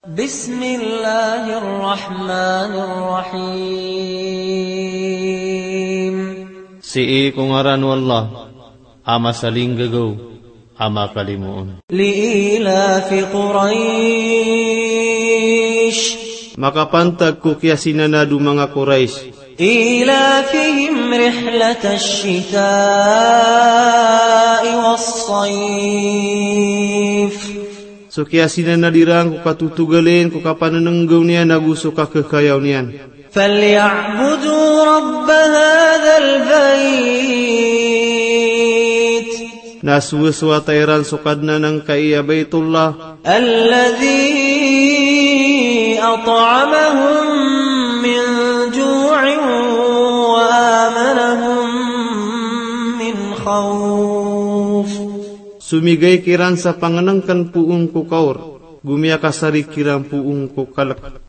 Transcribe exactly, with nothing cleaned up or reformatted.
بسم الله الرحمن الرحيم. Sii ko ngaran o Allah a masalinggagaw a makalimoon. لإيلاف قريش. Makapantag ko kiyasinanad o manga Quraysh. إيلافهم رحلة الشتاء والصيف. So kiyasinanad iran ko katotogaln, ko kapananenggaw niyan ago so kakekayaw niyan. فليعبدوا رب هذا البيت. Na sowasowata iran so Kadnan angkai a Baitullah. الذي أطعمهم من جوع وآمنهم من خوف. So migay kiran sa pangnngkn poon ko kaor, go miyakasarig kiran poon ko kalk.